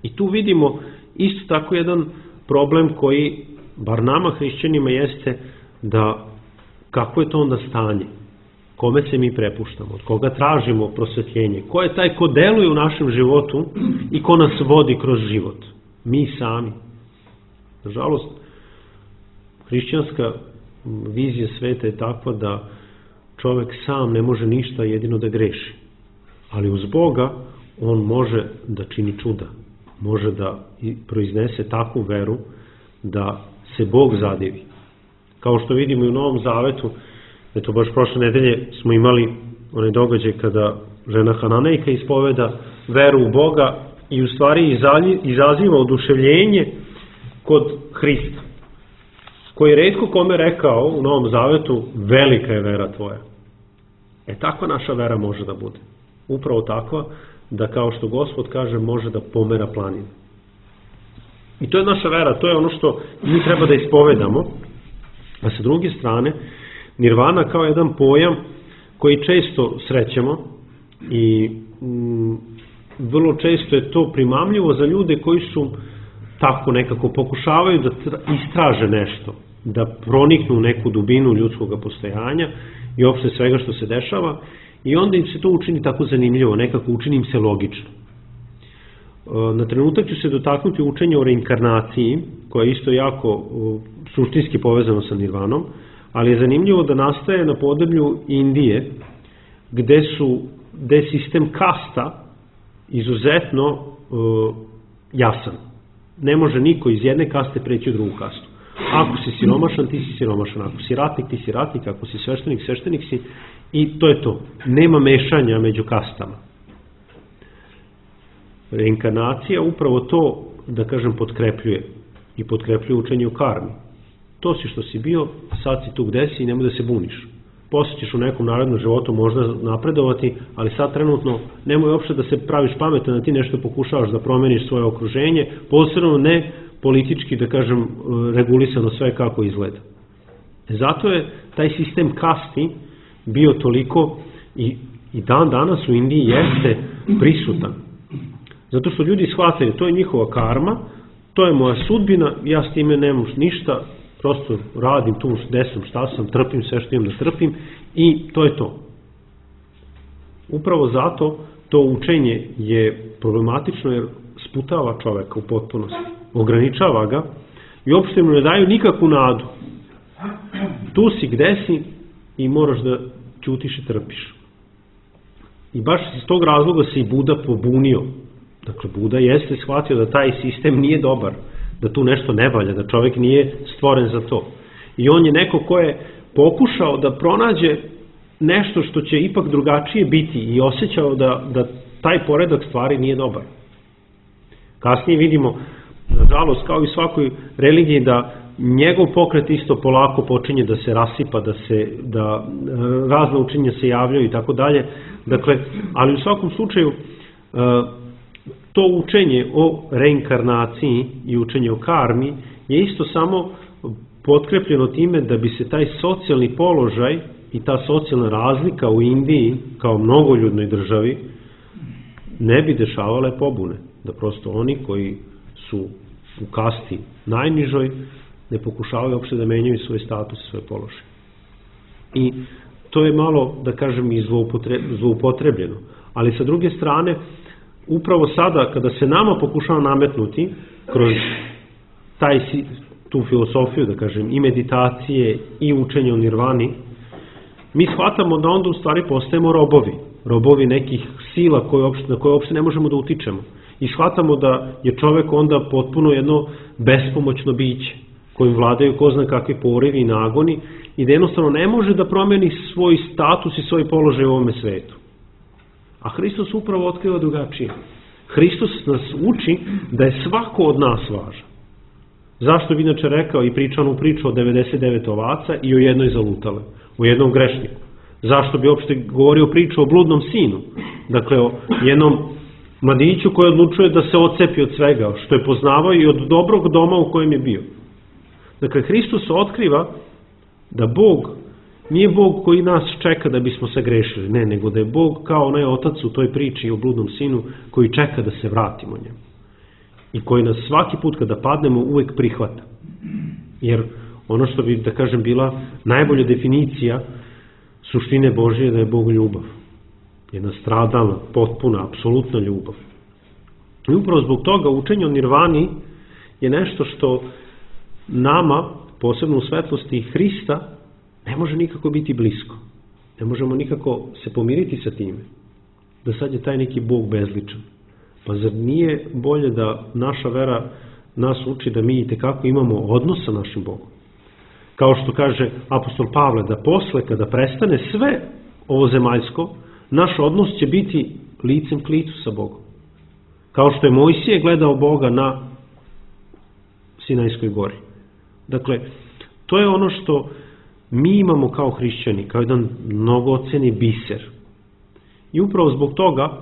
I tu vidimo isto tako jedan problem koji, bar nama hrišćanima, jeste da kako je to onda stanje, kome se mi prepuštamo, od koga tražimo prosvetljenje, ko je taj ko deluje u našem životu i ko nas vodi kroz život. Mi sami. Nažalost, hrišćanska vizija sveta je takva da čovjek sam ne može ništa, jedino da greši. Ali uz Boga on može da čini čuda. Može da proiznese takvu veru da se Bog zadivi. Kao što vidimo i u Novom Zavetu, eto baš prošle nedelje smo imali onaj događaj kada žena Hananejka ispoveda veru u Boga i u stvari izaziva oduševljenje kod Hrista, koji je retko kome rekao u Novom Zavetu, velika je vera tvoja. E takva naša vera može da bude. Upravo takva da, kao što Gospod kaže, može da pomera planinu. I to je naša vera, to je ono što mi treba da ispovedamo. A sa druge strane, nirvana kao jedan pojam koji često srećemo i mm, vrlo često je to primamljivo za ljude koji su tako nekako pokušavaju da istraže nešto, da proniknu neku dubinu ljudskog postojanja i uopšte svega što se dešava, i onda im se to učini tako zanimljivo, nekako učini im se logično. Na trenutak ću se dotaknuti učenja o reinkarnaciji, koja je isto jako suštinski povezano sa nirvanom, ali je zanimljivo da nastaje na podneblju Indije, gde su, gde je sistem kasta izuzetno uh, jasan. Ne može niko iz jedne kaste preći u drugu kastu. Ako si siromašan, ti si siromašan. Ako si ratnik, ti si ratnik. Ako si sveštenik, sveštenik si. I to je to. Nema mešanja među kastama. Reinkarnacija upravo to, da kažem, potkrepljuje. I potkrepljuje učenje o karmi. To si što si bio, sad si tu gde si i nemoj da se buniš. Posle ćeš u nekom narednom životu možda napredovati, ali sad trenutno nemoj uopšte da se praviš pametan, da ti nešto pokušavaš da promeniš svoje okruženje, posebno ne politički, da kažem, regulisano sve kako izgleda. Zato je taj sistem kasti bio toliko i, i dan danas u Indiji jeste prisutan. Zato što ljudi shvataju, to je njihova karma, to je moja sudbina, ja s time nemam ništa, prosto radim tu gde sam, šta sam, trpim sve što imam da trpim i to je to. Upravo zato to učenje je problematično jer sputava čoveka u potpunosti, ograničava ga i uopšte mu ne daju nikakvu nadu. Tu si gde si i moraš da ćutiš i trpiš. I baš iz tog razloga se i Buda pobunio. Dakle, Buda jeste shvatio da taj sistem nije dobar, da tu nešto ne valja, da čovjek nije stvoren za to. I on je neko ko je pokušao da pronađe nešto što će ipak drugačije biti i osjećao da, da taj poredak stvari nije dobar. Kasnije vidimo, nažalost, kao i svakoj religiji, da njegov pokret isto polako počinje da se rasipa, da se da razna učenja se javljaju i tako dalje. Dakle, ali u svakom slučaju to učenje o reinkarnaciji i učenje o karmi je isto samo potkrepljeno time da bi se taj socijalni položaj i ta socijalna razlika u Indiji kao mnogoljudnoj državi ne bi dešavale pobune. Da prosto oni koji su u kasti najnižoj ne pokušavaju uopšte da menjaju svoj status i svoj položaj. I to je malo, da kažem, i zloupotrebljeno. Ali sa druge strane, upravo sada kada se nama pokušava nametnuti kroz taj, tu filosofiju, da kažem, i meditacije i učenje o nirvani, mi shvatamo da onda u stvari postajemo robovi. Robovi nekih sila koje uopšte, na koje uopšte ne možemo da utičemo. I shvatamo da je čovek onda potpuno jedno bespomoćno biće kojim vladaju ko zna kakvi porivi i nagoni i da jednostavno ne može da promeni svoj status i svoj položaj u ovome svetu. A Hristos upravo otkriva drugačije. Hristos nas uči da je svako od nas važan. Zašto bi inače rekao i pričao onu priču o devedeset devet ovaca i o jednoj zalutale, o jednom grešniku? Zašto bi uopšte govorio priču o bludnom sinu? Dakle, o jednom mladiću koji odlučuje da se odcepi od svega, što je poznavao i od dobrog doma u kojem je bio. Dakle, Hristos otkriva da Bog nije Bog koji nas čeka da bismo se grešili, ne, nego da je Bog kao onaj otac u toj priči o bludnom sinu koji čeka da se vratimo njemu. I koji nas svaki put kada padnemo uvek prihvata. Jer ono što bi, da kažem, bila najbolja definicija suštine Božije da je Bog ljubav. Jedna stradalna, potpuna, apsolutna ljubav. I upravo zbog toga učenje o nirvani je nešto što nama, posebno u svetlosti Hrista, ne može nikako biti blisko. Ne možemo nikako se pomiriti sa time. Da sad je taj neki Bog bezličan. Pa zar nije bolje da naša vera nas uči da mi itekako imamo odnos sa našim Bogom? Kao što kaže apostol Pavle, da posle kada prestane sve ovo zemaljsko, naš odnos će biti licem k licu sa Bogom. Kao što je Mojsije gledao Boga na Sinajskoj gori. Dakle, to je ono što mi imamo kao hrišćani, kao jedan mnogoceni biser. I upravo zbog toga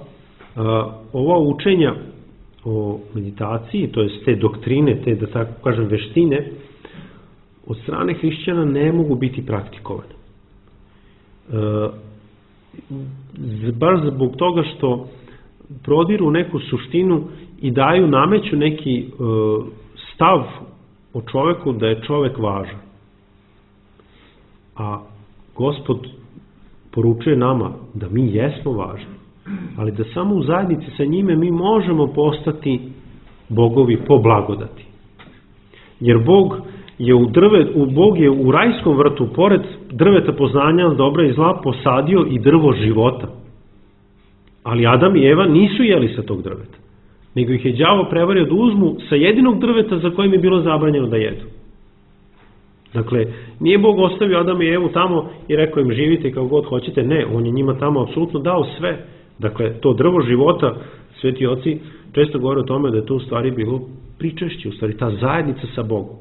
ova učenja o meditaciji, to je te doktrine, te, da tako kažem, veštine, od strane hrišćana ne mogu biti praktikovane. Baš zbog toga što prodiru neku suštinu i daju, nameću neki stav o čoveku da je čovek važan. A Gospod poručuje nama da mi jesmo važni, ali da samo u zajednici sa njime mi možemo postati bogovi po blagodati. Jer Bog je u, drve, u Bog je u rajskom vrtu, pored drveta poznanja dobra i zla, posadio i drvo života. Ali Adam i Eva nisu jeli sa tog drveta, nego ih je đavo prevario da uzmu sa jedinog drveta za kojim je bilo zabranjeno da jedu. Dakle, nije Bog ostavio Adama i Evu tamo i rekao im živite kao god hoćete, ne, on je njima tamo apsolutno dao sve. Dakle, to drvo života, sveti oci često govore o tome da je to u stvari bilo pričešće, u stvari ta zajednica sa Bogom.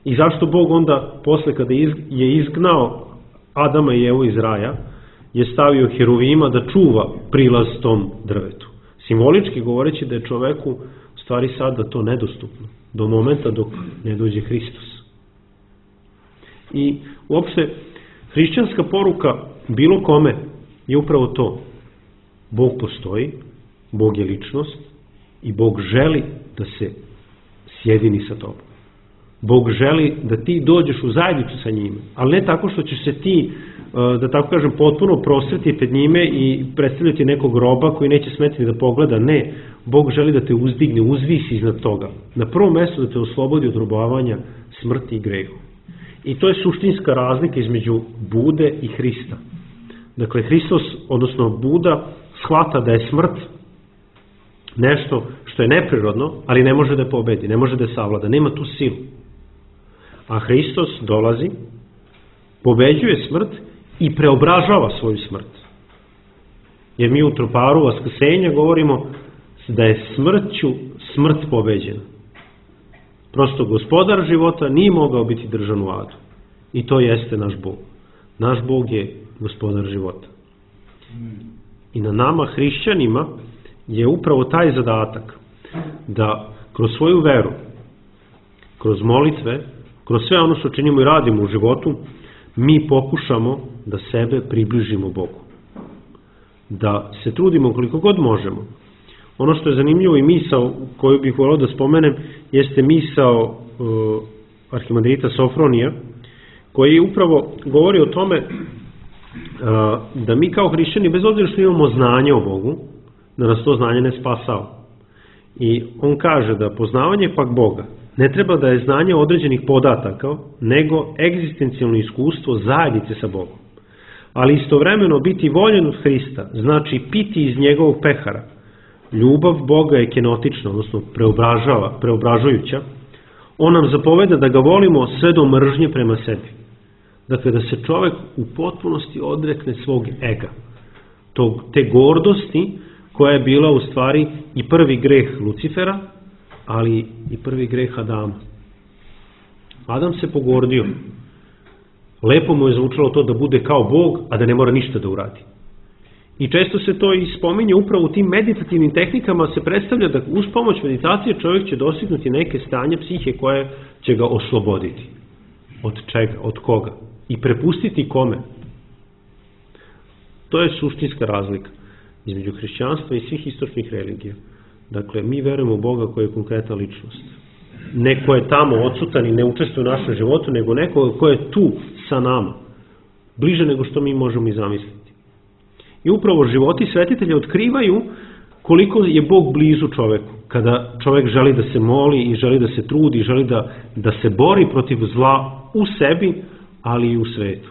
I zašto Bog onda, posle kada je izgnao Adama i Evu iz raja, je stavio heruvima da čuva prilaz tom drvetu. Simbolički govoreći da je čoveku u stvari sada to nedostupno, do momenta dok ne dođe Hristos. I uopšte, hrišćanska poruka bilo kome je upravo to. Bog postoji, Bog je ličnost i Bog želi da se sjedini sa tobom. Bog želi da ti dođeš u zajednicu sa njime, ali ne tako što ćeš se ti, da tako kažem, potpuno prostreti pred njime i predstavljati nekog roba koji neće smetiti da pogleda. Ne, Bog želi da te uzdigne, uzvisi iznad toga. Na prvom mjestu da te oslobodi od robovanja, smrti i grehu. I to je suštinska razlika između Bude i Hrista. Dakle, Hristos, odnosno Buda, shvata da je smrt nešto što je neprirodno, ali ne može da je pobedi, ne može da je savlada, nema tu silu. A Hristos dolazi, pobeđuje smrt i preobražava svoju smrt. Jer mi u troparu vaskrsenja govorimo da je smrću smrt pobeđena. Prosto gospodar života nije mogao biti držan u adu. I to jeste naš Bog. Naš Bog je gospodar života. I na nama, hrišćanima, je upravo taj zadatak da kroz svoju veru, kroz molitve, kroz sve ono što činimo i radimo u životu, mi pokušamo da sebe približimo Bogu. Da se trudimo koliko god možemo. Ono što je zanimljivo i misao koju bih volio da spomenem jeste misao uh, arhimandrita Sofronija, koji upravo govori o tome uh, da mi kao hrišćani, bez obzira što imamo znanje o Bogu, da nas to znanje ne spasava. I on kaže da poznavanje pak Boga ne treba da je znanje određenih podataka, nego egzistencijalno iskustvo zajednice sa Bogom. Ali istovremeno biti voljen od Hrista znači piti iz njegovog pehara. Ljubav Boga je kenotična, odnosno preobražava, preobražujuća. On nam zapoveda da ga volimo sve do mržnje prema sebi. Dakle, da se čovjek u potpunosti odrekne svog ega. Tog, te gordosti koja je bila u stvari i prvi greh Lucifera, ali i prvi greh Adama. Adam se pogordio. Lepo mu je zvučalo to da bude kao Bog, a da ne mora ništa da uradi. I često se to i spominje upravo u tim meditativnim tehnikama, se predstavlja da uz pomoć meditacije čovjek će dostignuti neke stanje psihe koje će ga osloboditi. Od čega? Od koga? I prepustiti kome? To je suštinska razlika između hrišćanstva i svih istočnih religija. Dakle, mi verujemo u Boga koji je konkretna ličnost. Neko je tamo odsutan i ne učestvuje u našem životu, nego neko ko je tu sa nama. Bliže nego što mi možemo i zamisliti. I upravo životi svetitelja otkrivaju koliko je Bog blizu čoveku. Kada čovjek želi da se moli i želi da se trudi, želi da, da se bori protiv zla u sebi, ali i u svetu.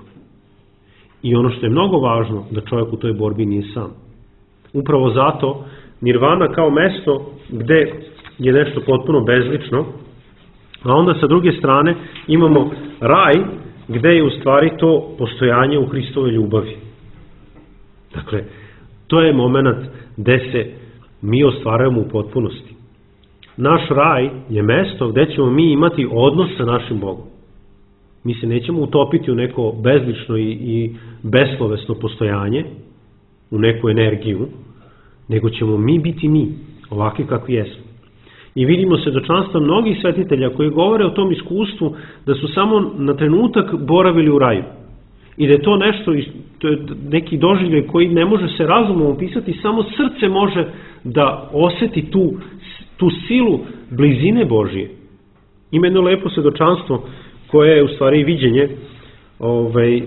I ono što je mnogo važno, da čovjek u toj borbi nije sam. Upravo zato nirvana kao mesto gde je nešto potpuno bezlično, a onda sa druge strane imamo raj gde je u stvari to postojanje u Hristove ljubavi. Dakle, to je moment gde se mi ostvarujemo u potpunosti. Naš raj je mesto gde ćemo mi imati odnos sa našim Bogom. Mi se nećemo utopiti u neko bezlično i, i beslovesno postojanje, u neku energiju, nego ćemo mi biti mi, ovakvi kakvi jesmo. I vidimo svedočanstva mnogih svetitelja koji govore o tom iskustvu da su samo na trenutak boravili u raju. I da je to nešto, to je neki doživljaj koji ne može se razumom opisati, samo srce može da oseti tu, tu silu blizine Božije. Ima jedno lepo svedočanstvo koje je u stvari viđenje ovaj,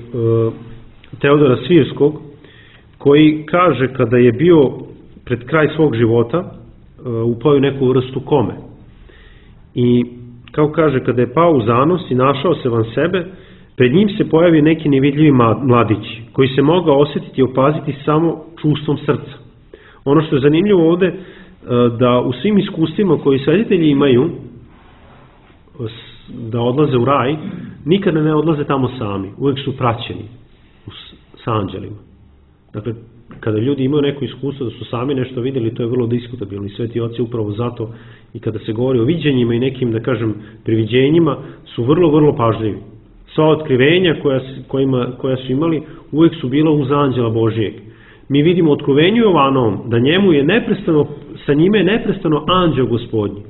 Teodora Svirskog, koji kaže kada je bio pred kraj svog života, upao u neku vrstu kome. I kao kaže, kada je pao u zanos i našao se van sebe, pred njim se pojavi neki nevidljivi mladić, koji se mogao osjetiti i opaziti samo čustvom srca. Ono što je zanimljivo ovde, da u svim iskustvima koji svetitelji imaju, da odlaze u raj, nikada ne odlaze tamo sami, uvek su praćeni s anđelima. Dakle, kada ljudi imaju neko iskustvo da su sami nešto vidjeli, to je vrlo diskutabilno. I sveti oci upravo zato, i kada se govori o viđenjima i nekim, da kažem, priviđenjima, su vrlo, vrlo pažljivi. Sva otkrivenja koja, kojima, koja su imali uvijek su bila uz anđela Božijeg. Mi vidimo u otkrivenju Jovanovom da njemu je neprestano, sa njime je neprestano anđeo Gospodnji.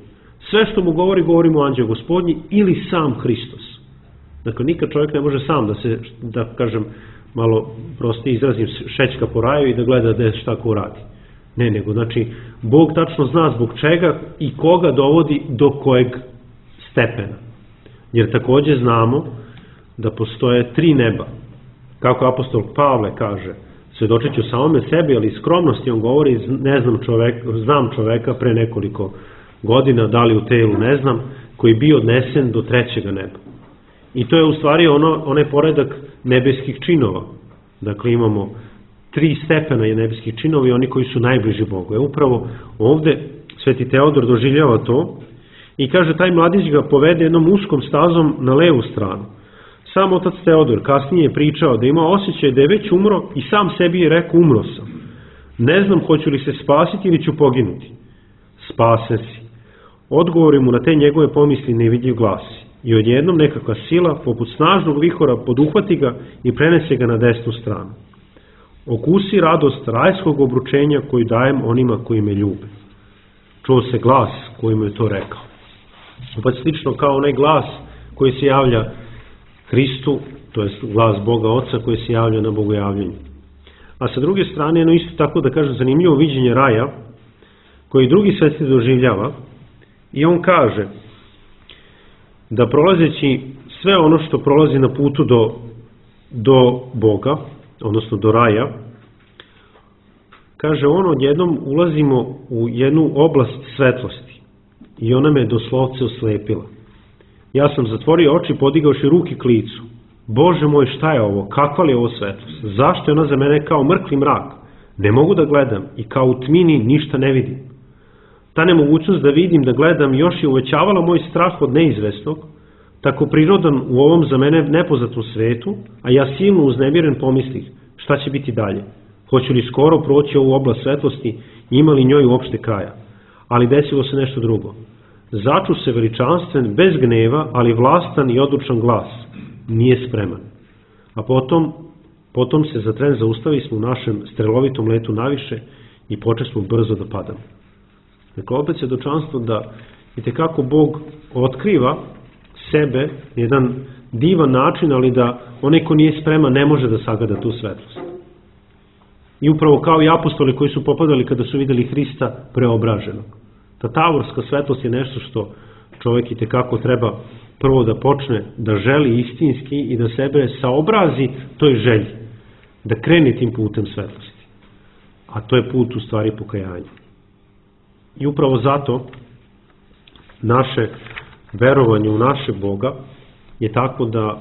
Sve što mu govori, govorimo o anđeo Gospodnji ili sam Hristos. Dakle, nikad čovjek ne može sam da se, da kažem, malo prosto izrazim, šećka po raju i da gleda da šta ko radi. Ne, nego, znači, Bog tačno zna zbog čega i koga dovodi do kojeg stepena. jer takođe znamo da postoje tri neba. Kako apostol Pavle kaže, svedočit ću samome sebi, ali iz skromnosti on govori, ne znam čovek, znam čoveka pre nekoliko godina, da li u telu ne znam, koji je bio odnesen do trećega neba. I to je u stvari ono, onaj poredak nebeskih činova. Dakle, imamo tri stepena nebeskih činova i oni koji su najbliži Bogu. E upravo ovde Sveti Teodor doživljava to i kaže, taj mladić ga povede jednom uskom stazom na levu stranu. Sam otac Teodor kasnije je pričao da ima osjećaj da je već umro i sam sebi je rekao, umro sam. Ne znam hoću li se spasiti ili ću poginuti. Spase si. Odgovori mu na te njegove pomisli nevidljiv glasi. I odjednom nekakva sila, poput snažnog vihora, poduhvati ga i prenese ga na desnu stranu. Okusi radost rajskog obručenja koju dajem onima koji me ljube. Čuo se glas koji mu je to rekao. Opet slično kao onaj glas koji se javlja Hristu, to je glas Boga Oca koji se javlja na bogojavljenju. A sa druge strane, jedno isto tako da kažem zanimljivo viđenje raja, koji drugi sveti doživljava, i on kaže da prolazeći sve ono što prolazi na putu do, do Boga, odnosno do raja, kaže on, odjednom ulazimo u jednu oblast svetlosti i ona me doslovce oslepila. Ja sam zatvorio oči, podigavši ruki k licu. Bože moj, šta je ovo? Kakva li je ovo svetlost? Zašto je ona za mene kao mrkli mrak? Ne mogu da gledam i kao u tmini ništa ne vidim. Ta nemogućnost da vidim, da gledam još je uvećavala moj strah od neizvesnog, tako prirodan u ovom za mene nepoznatom svetu, a ja silno uznemiren pomislih šta će biti dalje. Hoću li skoro proći ovu oblast svetlosti i ima li njoj uopšte kraja? Ali desilo se nešto drugo. Začu se veličanstven, bez gneva, ali vlastan i odlučan glas. Nije spreman. A potom, potom se za tren zaustavi smo u našem strelovitom letu naviše i počesmo brzo da padamo. Dakle, opet se dočanstvo da itekako Bog otkriva sebe jedan divan način, ali da onaj ko nije spreman ne može da sagleda tu svetlost. I upravo kao i apostoli koji su popadali kada su videli Hrista preobraženog. Ta tavorska svetlost je nešto što čovjek itekako treba prvo da počne da želi istinski i da sebe saobrazi toj želji, da krene tim putem svetlosti. A to je put u stvari pokajanja. I upravo zato naše verovanje u naše Boga je tako da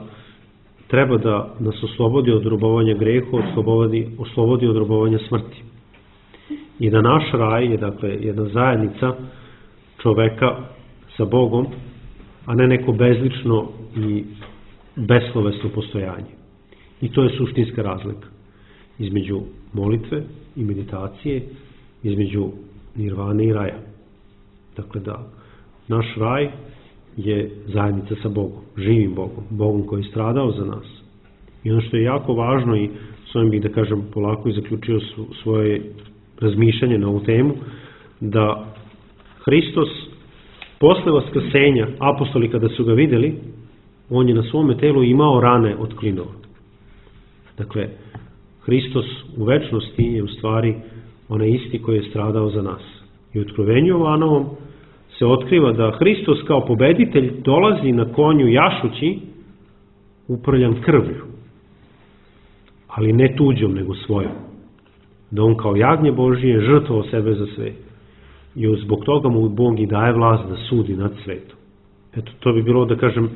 treba da nas oslobodi od robovanja greha, oslobodi, oslobodi od robovanja smrti. I da naš raj je, dakle, jedna zajednica čoveka sa Bogom, a ne neko bezlično i beslovesno postojanje. I to je suštinska razlika između molitve i meditacije, između nirvane i raja. Dakle, da naš raj je zajednica sa Bogom, živim Bogom, Bogom koji je stradao za nas. I ono što je jako važno, i s ovim bih da kažem polako i zaključio svoje razmišljanje na ovu temu, da Hristos posle vaskrsenja, apostoli kada su ga videli, on je na svome telu imao rane od klinova. Dakle, Hristos u večnosti je u stvari onaj isti koji je stradao za nas. I u Otkrivenju Jovanovom se otkriva da Hristos kao pobeditelj dolazi na konju jašući uprljan krvlju, ali ne tuđom nego svojom. Da on kao jagnje Božije žrtvovao sebe za sve. I zbog toga mu Bog i daje vlast da sudi nad svetom. Eto, to bi bilo, da kažem,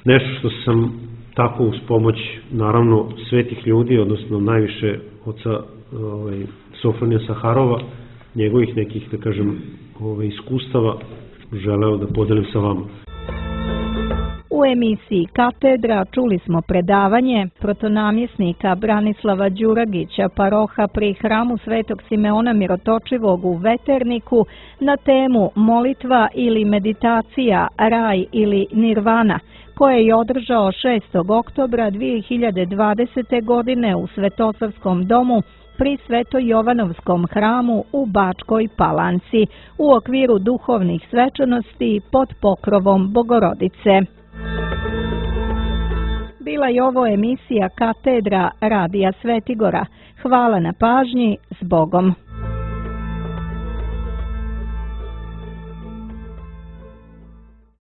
nešto što sam tako uz pomoć, naravno, svetih ljudi, odnosno najviše oca ovaj, Sofronija Saharova, njegovih nekih, da kažem, ovaj, iskustava želeo da podelim sa vama. U emisiji Katedra čuli smo predavanje protonamjesnika Branislava Đuragića, paroha pri hramu Svetog Simeona Mirotočivog u Veterniku na temu molitva ili meditacija, raj ili nirvana, koje je održao šestog oktobra dve hiljade dvadesete. godine u Svetosavskom domu pri Sveto-Jovanovskom hramu u Bačkoj Palanci u okviru duhovnih svečanosti pod pokrovom Bogorodice. Bila je ovo emisija Katedra Radija Svetigora. Hvala na pažnji, s Bogom.